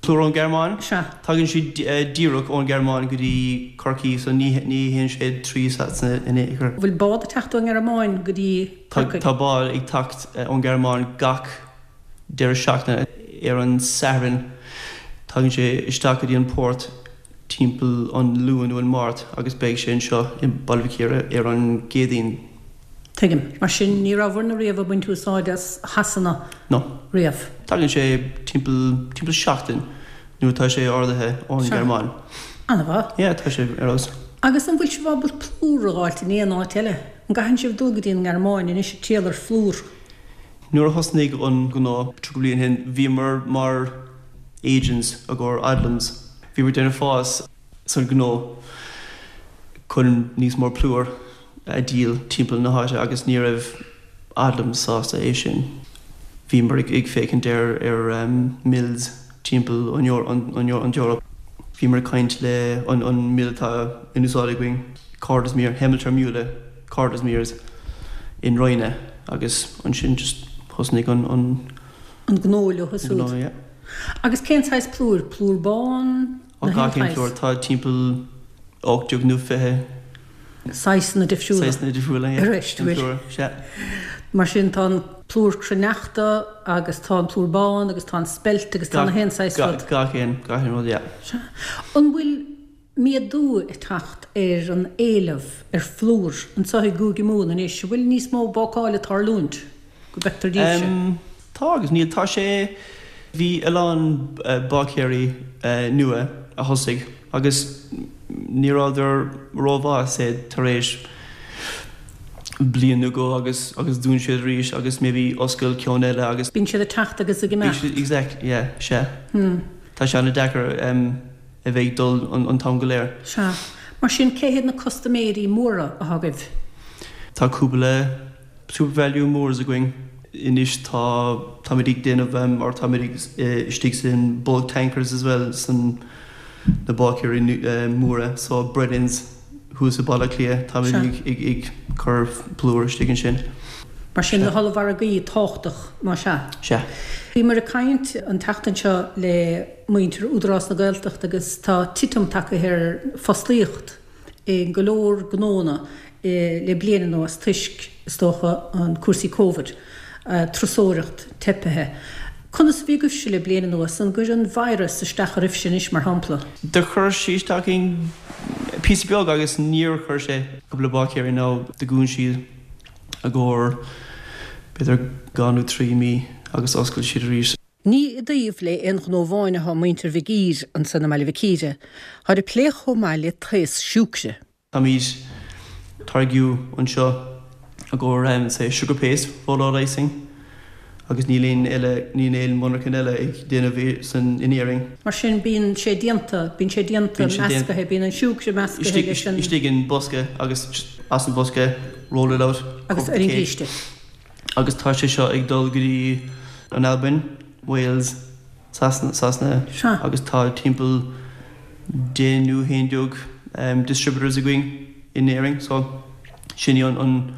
Plúr ón Ghearmáin? Sea. Tagann sé díreach ón Ghearmáin go dtí Corcaigh so ní théann sé trí Sasana in aon chor. Bhfuil bád ag teacht ón nGearmáin go dtí Corcaigh? Tá bád ag teacht ón Ghearmáin gach deireadh seachtaine. Ar an Satharn tagann sé isteach go dtí an port timpeall an Luan nó an Máirt agus beidh sé anseo i Baile Mhic Íre ar an gCéadaoin. Tuigim. Mar sin ní rabhabhair-ne riamh ag baint úsáid as Shasana No. riamh? Tagann sé timpeall timpeall seachtain nuair atá sé ordaithe ón Ghearmáin. An-mhaith. Yeah, tá sé ar fheabhas. Agus an bhfuil sibh ábalta plúr a dh'fháilt in aon áit eile? An gcaitheann sibh dul go dtí an nGearmáin anois ag triall ar phlúr? Nuair a thosnaigh an gnó 30 bliain ó shin, bhíomar mar agents i gcomhair Odlums. Bhíomar ag déanamh fás san gnó chun níos mó plúr a dhíol timpeall na háite agus ní raibh Odlums sásta é sin. Bhíomar ag féachaint ar ar mills timpeall an Eoraip. Bhíomar ag caint le an mill atá in úsáid againn, Cordesmere, Hemmelter Mühle. Cordesmere's in Rheine agus ansin just thosnaigh an an. an gnó leo siúd. Gnó, yeah. Agus cén saghas plúir? Plúr bán? Na haon Gach aon phlúr. Tá timpeall 18 nó 20. Saghsanna difriúla. Saghsanna difriúla, yeah. Arís, bhfuil. Sea. Mar sin tá an plúr cruithneachta agus tá an plúr bán agus tá an spelt agus tá na haon saghas rud. Gach aon, gach aon rud, yeah. Sea. An bhfuil méadú ag teacht ar an éileamh ar phlúr anseo i gCúige Mumhan anois. An bhfuil níos mó bácáil ag tarlúint, go bhfeictear daoibhse? Tá agus níl. Tá sé, bhí a lán báicéirí nua a thosaigh agus ní rabhadar rómhaith say tar éis bliain nó dhó agus agus dún siad arís agus maybe oscail ceann eile agus. Bíonn siad ag teacht agus ag imeacht. Exactly, yeah, sea. Tá sé an-deacair. a bheith ag dul an t-am go léir. Sea. Mar sin, cé hiad na custaiméirí móra atá agaibh? Tá cúpla SuperValu mórs againn anois. Tá, táimid ag déanamh or táimid ag istigh san bulk tankers as well san na báicéirí móra so Brennans thuas i Baile Átha Cliath, táimid ag ag cur plúr istigh ansin. Mar sin, na hollmhargaí tábhachtach, más ea? Sea. Bhíomar ag caint an tseachtain seo le. muintir Údarás na Gaeltachta agus tá titim tagtha ar fostaíocht i go leor gnónna le bliain anuas toisc, is dócha, an cúrsaí Covid, turasóireacht teipithe. Conas a bhí agaibhse le bliain anuas? An gcuir an virus isteach oraibhse anois, mar shampla? Do chuir sé isteach orainn píosa beag agus níor chuir sé cúpla báicéirí nó do dhún siad i gcomhair b'fhéidir dhá nó trí mí agus oscail siad arís. Ní i dtaobh le aon ghnó amháin atá muintir Mhig Uidhir ansan i mBaile Mhic Íre. Táid ag plé chomh maith le taos siúcra. Táimid táirgiú anseo i gcomhair say sugar paste, roll out icing agus níl aon eile, níl aon monarchan eile ag déanamh é san in Éirinn. Mar sin bíonn sé déanta, bíonn sé déanta, meascaithe, bíonn an siúcra meascaithe leis an. Istigh in bosca agus just as an bhosca roll it out. Agus ar an gcíste. Agus tá sé seo ag dul go dtí an Albain, Wales, Sasana, Sasana agus tá timpeall 10 nó 11 distributors againn in Éirinn so sin í an.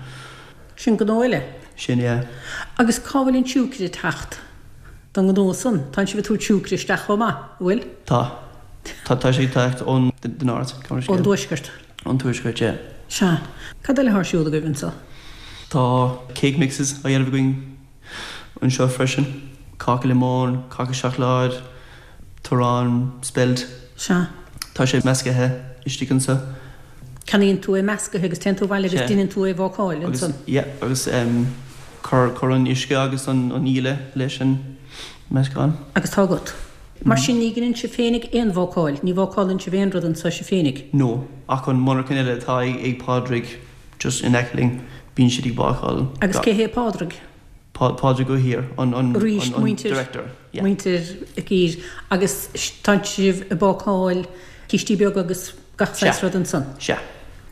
Sin gnó eile. Sin, yeah. Agus cá bhfuil an siúcra ag teacht don ngnó san? Tánn sibh ag tabhairt siúcra isteach chomh maith, an bhfuil? Tá. Tá, tá sé ag teacht ón the north. Ón dtuaisceart. Ón tuaisceart, yeah. Sea. Cad eile atá ar siúl agaibh anso? Tá cake mixes á dhéanamh againn anseo freisin, cáca liomóin, cáca seacláid, arán spelt. Sea. Tá sé meascaithe istigh anseo. Ceannaíonn tú é meascaithe agus téann tú abhaile agus deineann tú é a bhácáil ansan. Yeah, agus cuir, cuir an uisce agus an íle leis an meascán. Agus tá agat. Mar sin ní dheineann sibh féinig aon bhácáil, ní bhácálann sibh aon rud anseo sibh féinig? No, ach an monarchan eile atá ag Pádraig just in aice linn, bíonn siad ag bácáil. Agus cé hé Pádraig? Pádraig Ó hÍr, an, an, Arís, an muintir, director, yeah. muintir Mhic Uidhir. Agus tánn sibh ag bácáil cístí beaga agus gach saghas Sea. rud ansan? Sea.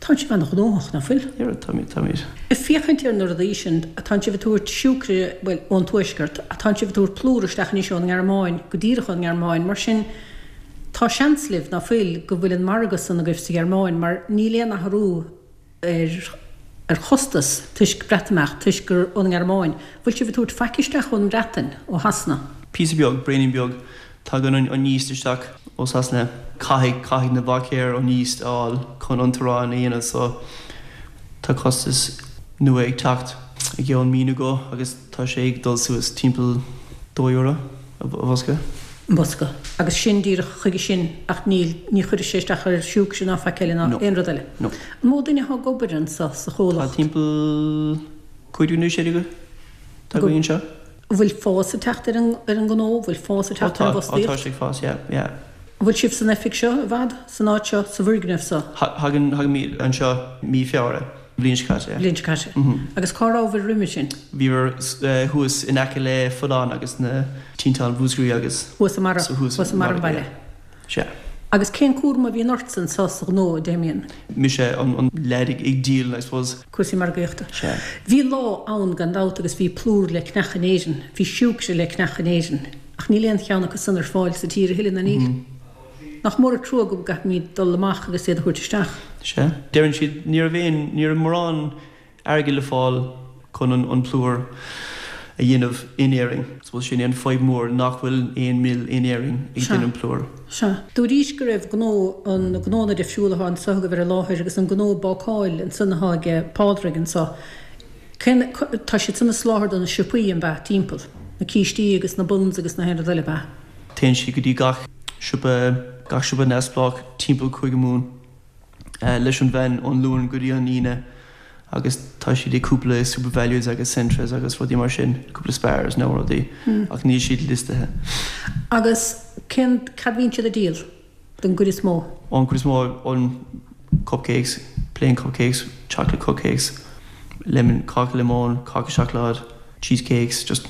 Tánn sibh an-ghnóthach, ná fuil? Yeah, táimid, táimid. Ag féachaint ar na rudaí sin, tánn sibh ag tabhairt siúcra, bhuel, ón tuaisceart, tánn sibh ag tabhairt plúr isteach anois ón nGearmáin, go díreach ón nGearmáin, mar sin tá seans libh, ná fuil, go bhfuil an margadh san agaibh sa Ghearmáin, mar níl aon athrú ar ar chostas toisc Breatimeacht, toisc gur ón nGearmáin. Bhfuil sibh ag tabhairt faic isteach ón mBreatain, ó Shasana? Píosa beag, braoinín beag. Tagann an yeast isteach ó Sasana. Caithfidh, caithfidh na báicéir an yeast a fháil chun an t-arán a dhéanamh so tá costas nua ag teacht i gceann mí nó dhó agus tá sé ag dul suas timpeall €2 a bhosca. mbosca. Agus sin díreach chuige sin ach níl, ní chuirfidh sé isteach ar siúcra ná faic eile ná No. aon rud eile. No. An mó duine atá ag obair anso sa Tá chomhlacht? timpeall 15 nó 16 atá againn anseo. An bhfuil fás ag teacht ar an, ar an ngnó? An bhfuil fás ag Ó teacht ar tá, an ó tá bhfostaíocht? sé ag fás, yeah, yeah. An bhfuil sibh san oifig seo i bhfad, san áit seo, sa bhfoirgneamh seo? Thagann, thagaimid anseo mí Feabhra. Bliain seo caite. Bliain seo caite. Agus cá rabhabhair roimhe sin? Bhíomar thuas in aice le Folláin agus na tinteáin Mhúscraí agus. Thuas i mbarra, So thuas thuas i mbarra an bhaile. Sea. Agus cén cúram a bhíonn ortsa anso sa ghnó, a Damien? Mise an leaid ag díol, I suppose. Cúrsaí margaíochta. Sea. Bhí lá ann gan dabht agus bhí plúr le ceannach in Éirinn, bhí siúcra le ceannach in Éirinn, ach níl aon cheann acu san ar fáil sa tír a thuilleadh, ná níl? Nach mór an trua go gcaithfimid dul amach agus iad a thabhairt isteach. Sea. Deireann siad, ní raibh aon, ní raibh mórán airgid le fáil chun an an plúr a dhéanamh in Éirinn. Suppose sin é an fadhb mór, nach bhfuil aon mill in Éirinn ag Sea. déanamh plúr. Sea. Dúraís go raibh gnó, an gnónna difriúla atá anso agaibh ar an láthair agus an gnó bácáil ansan atá ag Pádraig anso. Cén, tá siad san ag soláthar do na siopaí, an b'ea, timpeall? Na cístí agus na buns agus na haon rud eile, ab ea? Téann siad go dtí gach siopa, gach siopa neamhspleách timpeall Cúige Mumhan leis an veain ón Luan go dtí an Aoine agus tá siad ag cúpla SuperValues agus Centras agus rudaí mar sin, cúpla Spars nó rudaí ach níl siad liostaithe. Agus cén, cad bhíonn siad ag díol don gcuid is mó? An cuid is mó an cupcakes, plain cupcakes, chocolate cupcakes, lemon, cáca liomóin, cáca seacláid, cheesecakes, just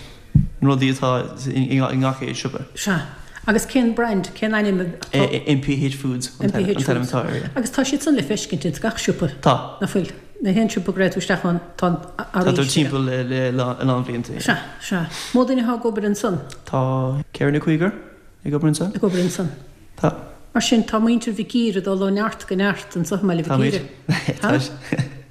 na rudaí atá i ngach aon siopa. Sea. Agus cén brand, cén ainm atá? MPH Foods an t-ainm atá air, yeah. Agus tá siad san le feiscint ins gach siopa? Tá. Nach bhfuil? Na haon siopa go raibh tú isteach ann, tá an Tá tú timpeall le a lán blianta, yeah. Sea, sea. Mó duine atá ag obair ansan? Tá ceithre nó cúigear ag obair ansan. Ag obair ansan. Tá. Mar sin, tá muintir Mhic Uidhir ag dul ó neart go neart anso i mBaile Mhic Íre. Táimid.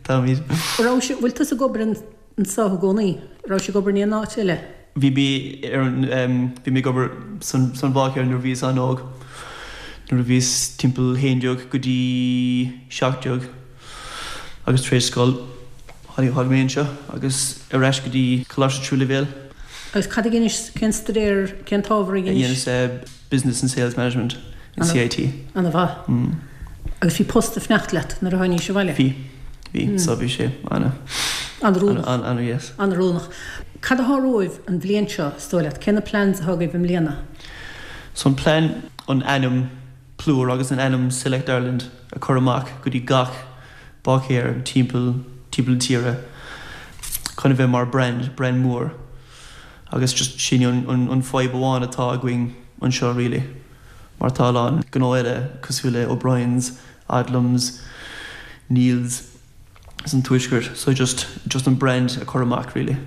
Táimid. Raibh, bhfuil tusa ag obair anso i gcónaí? Raibh sibh ag obair in aon áit eile? Bhí mé ar an, bhí mé ag obair san, san bháicéir nuair a bhíos an-óg, nuair a bhíos timpeall 11 go dtí 17 agus tar éis scoil tháinig, tháinig mé anseo agus ar ais go dtí coláiste tríú leibhéal. Agus cad a dheinis, cén staidéar, cén t-ábhar a dheinis? Dheineas Business and Sales Management in CIT. Ana mhaith. Agus bhí post ag fanacht leat nuair a tháinís abhaile? Bhí, bhí, so bhí sé ana. An-oiriúnach. Ana, yes. An-oiriúnach. Cad athá romhaibh an bhliain seo, is dóigh leat? Cé na plans athá agaibh i mbliana? So an plean an ainm Plúr agus an ainm Select Ireland a cur amach go dtí gach báicéir timpeall timpeall na tíre chun a bheith mar brand, brand mór agus just sin an an fadhb amháin atá againn anseo really mar tá a lán gnó eile cosúil le O'Brien's, Odlums, Neil's san tuaisceart so just just an brand a chur amach really.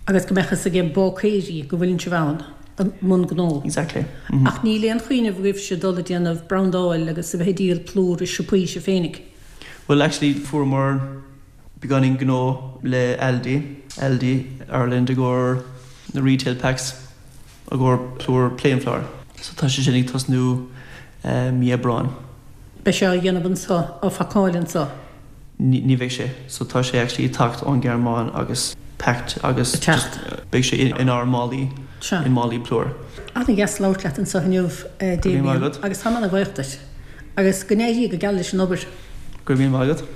Agus go mbeadh fhios ag báicéirí go bhfuileann sibh ann i mbun gnó. Exactly. Ach níl aon chuimhneamh agaibhse dul ag déanamh brandáil agus a bheith ag díol plúr i siopaí sibh féinig? Well actually fuaireamar beagáinín gnó le Aldi, Aldi Ireland i gcomhair na retail packs i gcomhair plúr plain flour. So tá sé sin ag tosnú mí Aibreáin. Beidh sé á dhéanamh anseo, á phacáil anseo? Ní bheidh sé. So tá sé actually ag teacht ón Ghearmáin agus packed agus just beidh sé inár málaí, in málaí plúir. An-dheas labhairt leat anseo inniu, Damien, agus táim an-bhuíoch duit. Agus go n-éirí go geal leis an obair. Go raibh míle maith agat.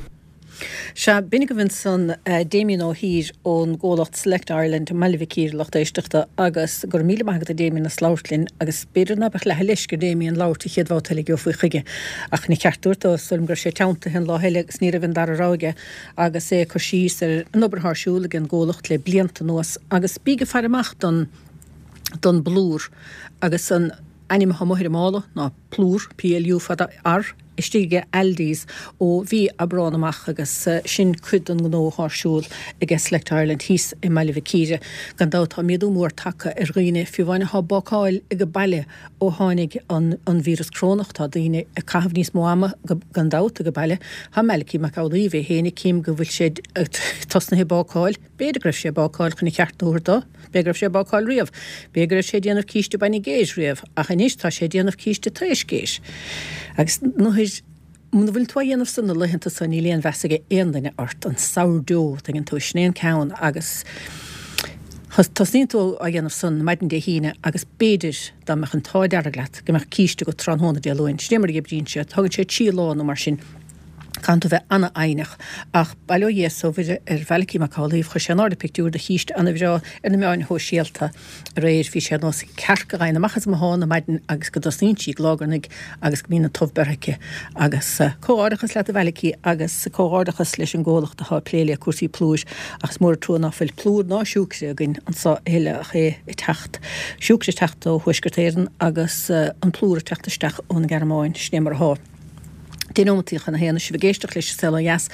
Sea, b'in agaibh ansan Damien Ó hÍr ón gcomhlacht Select Ireland i mBaile Mhic Íre, a lucht éisteachta, agus go raibh míle maith agat a Damien as labhairt linn agus b'fhéidir ná beadh leath a leisce ar Damien labhairt an chéad bhabhta eile a gheofaí chuige. Ach ina cheart dúirt dó, is dóigh liom go raibh sé teanntaithe an lá eile agus ní raibh an dara rogha aige agus é ag cur síos ar an obair atá ar siúl ag an gcomhlacht le blianta anuas agus bíg ag faire amach don don bplúr agus an ainm atá amuigh ar an mála ná Plúr, PLU fada R, istigh ag Aldi's ó mhí Aibreán amach agus sin cuid den ngnó atá ar siúl ag Select Ireland thíos i mBaile Mhic Íre. Gan dabht tá méadú mór tagtha ar dhaoine, fiú amháin atá ag bácáil ag baile ó tháinig an an víreas corónach. Tá daoine ag caitheamh níos mó ama gan dabht ag baile. Tá Malachy Mac Amhlaoibh é féin, cím go bhfuil sé tosnaithe ag bácáil. B'fhéidir go raibh sé ag bácáil chun a cheart a thabhairt dó. B'fhéidir go raibh sé ag bácáil riamh. B'fhéidir go raibh sé ag déanamh císte bainne géis riamh. Ach anois tá sé ag déanamh císte taois géis. Agus nuair, muna bhfuil tú á dhéanamh san na laethanta so níl aon mheas ag aon duine ort. An sourdough, tuigeann tú, sin é an ceann agus tosnaíonn tú á dhéanamh san maidin Dé hAoine agus b'fhéidir dá mbeadh an t-ádh dearg leat go mbeadh císte agat tráthnóna Dé Luain. Sin é mar a oibríonn sé. Tógann sé trí lá nó mar sin. Caitheann tú bheith ana-fhoighneach. Ach bail ó Dhia is ó Mhuire ar Mhalachy Mac Amhlaoibh, chuir sé in airde pictiúr de chíste ana-bhreá ar na meáin shóisialta aréir. Bhí sé ar nós cearc a ghabhann amach as an mbothán ar maidin agus go dtosnaíonn sí ag lágarnaigh agus go mbíonn an t-ubh beirthe aici. Agus comhghairdeachas leat a Mhalachy agus comhghairdeachas leis an gcomhlacht atá ag plé le cúrsaí plúir. Ach is mór an trua ná fuil plúr ná siúcre againn anso a thuilleadh ach é ag teacht, siúcre ag teacht ó Thuaisceart Éireann agus an plúr ag teacht isteach ón nGearmáin. Sin é mar athá. 10 nóimeataí chun a haon, sibh ag éisteacht leis an Saol Ó Dheas.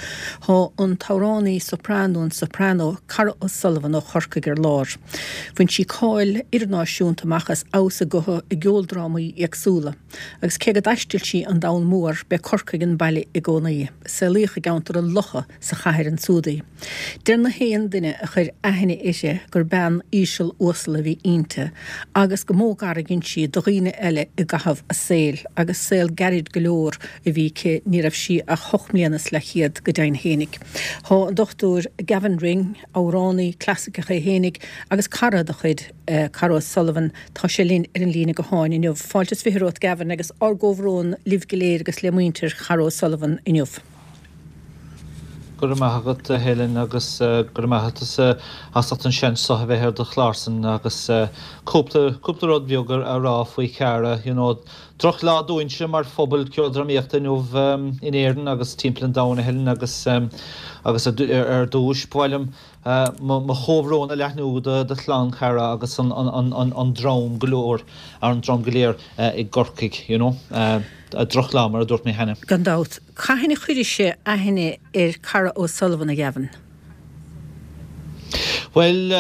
Tá an t-amhránaí soprano, an soprano Cara O'Sullivan ó Chorcaigh ar lár. Bhain sí cáil idirnáisiúnta amach as fheabhas a gutha i gceoldrámaí éagsúla. Agus cé go dtaistil sí an domhan mór, b'é Corcaigh an baile i gcónaí. Saolaíodh i gceantar an Locha sa chathair ansúd í. Deir na haon duine a chuir aithne uirthi gur bean íseal uasal a bhí inti agus go mó gar a dhein sí do dhaoine eile i gcaitheamh a saoil, agus saol gairid go leor a bhí aici, ní raibh sí ach hocht mbliana is leathchéad go deimhin fhéinig. Tá an Dr Gavin Ring, amhránaí clasaiceach é fhéinig agus cara de chuid Cara O'Sullivan, tá sé linn ar an líne gutháin inniu. Fáilte is 20 romhat Gavin agus ár gcomhbhrón libh go léir agus le muintir Chara O'Sullivan inniu. Go raibh maith agat a Helen agus go raibh maith agat as ucht an seans seo a bheith ar do chlársan agus cúpla, cúpla rud beag a rá faoi Chara. You know, droch lá dúinnse mar phobal ceoldrámaíochta inniu in Éirinn agus timpeall an domhain a Helen agus agus ar dtúis ba mhaith liom mo chomhbhrón a leathnú do chlann Chara agus an dream go leor, an dream go léir i gCorcaigh, you know. Drochlá, mar a dúirt mé cheana. Gan dabht. Cathain a chuiris-se aithne ar Cara O'Sullivan, a Ghavin? Bhuel,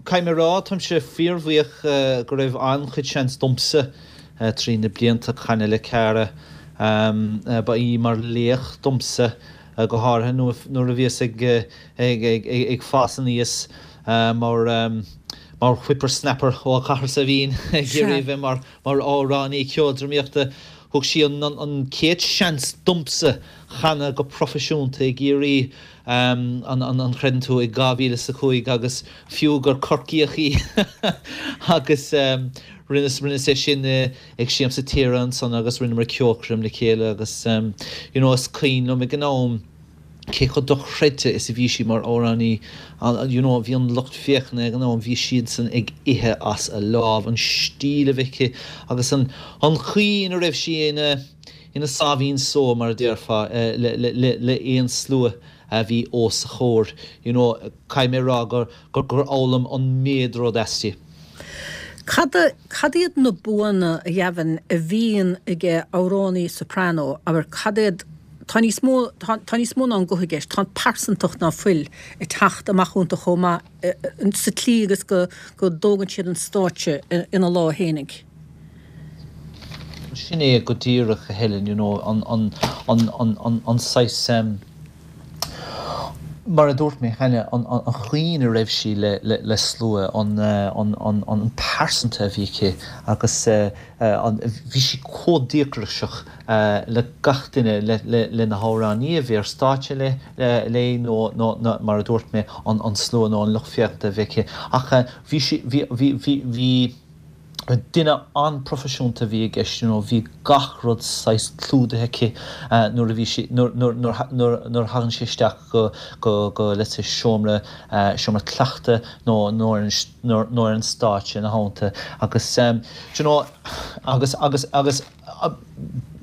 caithfidh mé a rá, táimse fíorbhuíoch go raibh an-chuid seans domsa trí na blianta canadh le Cara. Ba í mar laoch domsa. go háirithe nuair a bhíos ag fás aníos mar mar whippersnapper ó chathair Saibhín ag iarraidh a bheith mar amhránaí ceoldrámaíochta. Thug sí an an chéad seans domsa chanadh go proifisiúnta i gCiarraí, an an chreideann tú, i 2005 agus fiú gur Corcaíoch í agus rinneas rinneas é sin ag Siamsa Tíre ansan agus rinneamar ceolchoirm le chéile agus you know is cuimhin liom ag an am cé chomh dochreidte is a bhí sí mar amhránaí you know bhí an lucht féachana ag an am bhí siadsan ag ithe as a lámh an stíl a bhí aici agus an an chaoi ina raibh sí ina ina sáimhín só mar a déarfá le le le le aon slua a bhí os a chomhair you know caithfidh mé a rá gur gur gur fhoghlaim an méid rud aisti. Cad cad iad na buanna, a Ghavin, a bhíonn ag amhránaí soprano, abair, cad iad, tá níos mó, tá, tá níos mó ná an guth i gceist, tá an pearsantacht ná fuil ag teacht amach iontu chomh maith sa tslí agus go, go dtógann siad an stáitse ina lámha fhéinig. Sin é go díreach, a Helen, you know, an, an, an, an, an, an saghas, Mar a dúirt mé cheana, an chaoi ina raibh sí le slua, an pearsanta a bhí aici agus bhí sí chomh díograiseach le gach duine, le na hamhránaí a bhí ar stáitse léi nó mar a dúirt mé, an slua nó an lucht féachanta a bhí aici. Ach bhí sí, bhí, bhí, bhí. Duine an-proifisiúnta a bhí i gceist, you know, bhí gach rud saghas clúdaithe aici nuair a bhí sí, nuair, nuair, nuair, nuair, nuair a thagann sí isteach go, go, go, let's say seomra, seomra cleachta nó, nó ar an, nó ar an stáitse ina theannta agus, do you know, agus, agus, agus,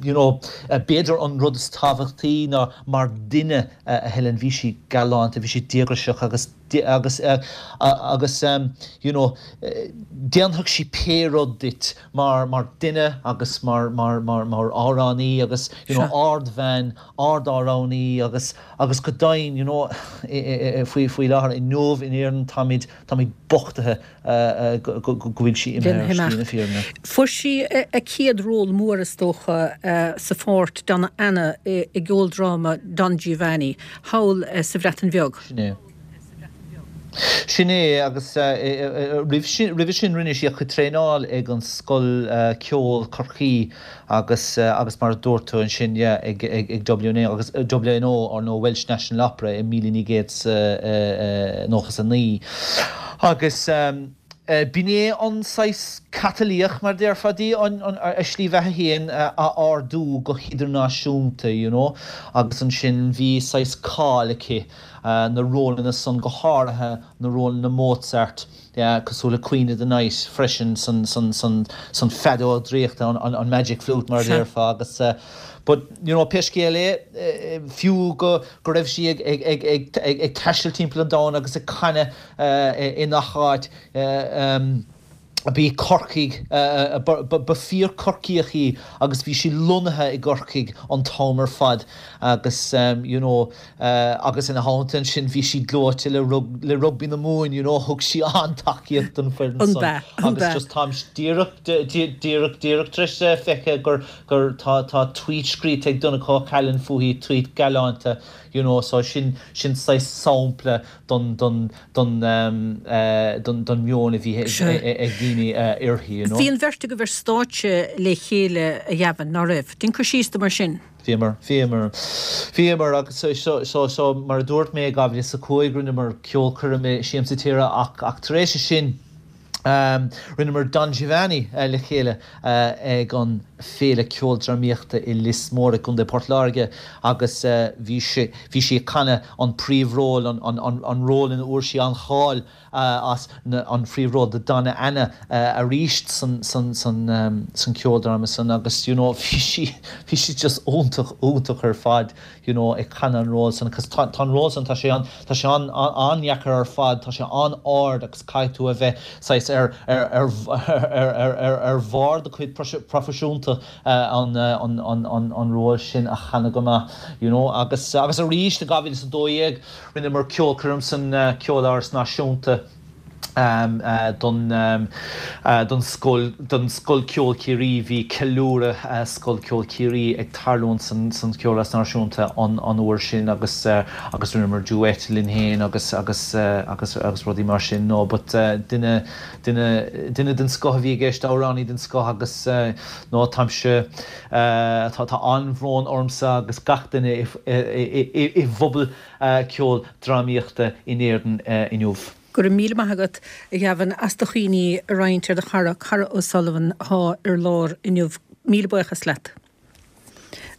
you know, b'fhéidir an rud is tábhachtaí ná mar duine a Helen, bhí sí galánta, bhí sí díograiseach agus, agus agus you know déanfadh sí pé rud duit mar mar duine agus mar mar mar mar amhránaí agus you know ardbhean, ard-amhránaí agus agus go deimhin you know faoi faoi láthair inniu in Éirinn táimid táimid bochtaithe go go go bhfuil sí imithe ar shlí na fírinne. Fuair sí a céad ról mór is dócha sa pháirt Donna Anna i gceoldráma Don Giovanni thall sa Bhreatain Bheag. Sin é. Sin é, agus roimh sin, roimhe sin rinne sí a cuid traenáil ag an Scoil Ceoil, Corcaigh agus agus mar a dúirt tú ansin, yeah, ag ag WNO agus WNO, ar ndóigh Welsh National Opera i 1999. Agus b'in é an saghas catalaíoch, mar a déarfá, di an a slí bheatha féin a ardú go hidirnáisiúnta, you know, agus ansin bhí saghas cáil aici. na rólanna san, go háirithe na rólanna Mozart, cosúil le Queen of the Night freisin san san feadóg draíochta, an Magic Flute mar a déarfá agus but you know pé scéal é, fiú go go raibh sí ag ag ag ag ag taisteal timpeall an domhain agus ag canadh i ngach áit, B'í Corcaigh, ba fíor-Chorcaíoch í agus bhí sí lonnaithe i gCorcaigh an t-am ar fad agus you know agus ina theannta ansin bhí sí gleoite le le rugbaí na Mumhan you know thug sí an-tacaíocht don foireann san agus just táim díreach díreach díreach tar éis feice gur gur tá tá tweet scríte ag Donncha Ó Ceallaigh fúithi, tweet galánta you know so sin sin saghas sampla don don don don meon a bhí ag daoine uirthi, you know. Bhí an bheirt agaibh ar stáitse le chéile, a Ghavin, ná raibh? Déan cur síos dom ar sin. Bhíomar, bhíomar. Bhíomar agus so so so mar a dúirt mé i 2005 rinneamar ceolchoirm i Siamsa Tíre ach ach tar éis sin, Rinneamar Don Giovanni le chéile ag an Féile Ceoldrámaíochta i Lios Mór i gContae Port Láirge agus bhí sí bhí sí ag canadh an príomhról, an ról ina bhfuair sí an-cháil as, an phríomhról de Donna Anna arís san san san san ceoldráma san agus you know bhí sí bhí sí just iontach iontach ar fad. you know, ag canadh an ról san, cos tá, tá an ról san, tá sé an, tá sé an, an-dheacair ar fad, tá sé an-ard agus caithfidh tú a bheith saghas ar, ar, ar, ar, ar, ar, ar bharr do chuid proifisiúnta an, an, an, an, an ról sin a chanadh go maith, you know, agus, agus arís i 2012 rinneamar ceolchoirm san Ceoláras Náisiúnta. Don don scoil don Scoil Ceoil Chiarraí bhí ceiliúradh Scoil Ceoil Chiarraí ag tarlúint san san Cheoláras Náisiúnta an an uair sin agus agus rinneamar duet linn féin agus agus agus agus rudaí mar sin no but duine duine duine den scoth a bhí i gceist amhránaí den scoth agus no táimse tá tá an-bhrón ormsa agus gach duine i i i bpobal ceol drámaíochta in Éirinn inniu. Go raibh míle maith agat, a Gavin, as do chuimhní a roinnt ar do chara, Cara O'Sullivan, atá ar lár inniu. Míle buíochas leat.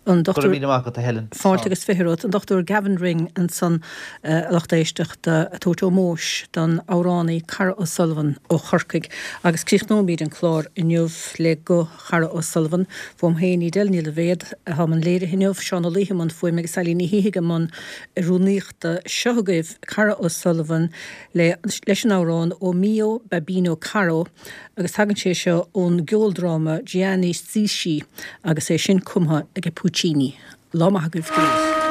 An Go raibh míle maith agat, a Helen. Fáilte agus 20 romhat. An Dr Gavin Ring ansan, a lucht éisteachta, ag tabhairt ómóis don amhránaí Cara O'Sullivan ó Chorcaigh. Agus críochnóimid an clár inniu le guth Chara O'Sullivan. Uaim féin, Edel Ní Loibhéad, atá i mbun léirithe inniu, Seán Ó Laoithe i mbun fuaime agus Eilín Ní Shíthigh i mbun rúnaíochta. Seo agaibh Cara O'Sullivan le leis an amhrán O Mio Babbino Caro agus tagann sé seo ón gceoldráma Gianni Schicchi agus é sin cumtha ag Puccini. Lá maith agaibh go léir.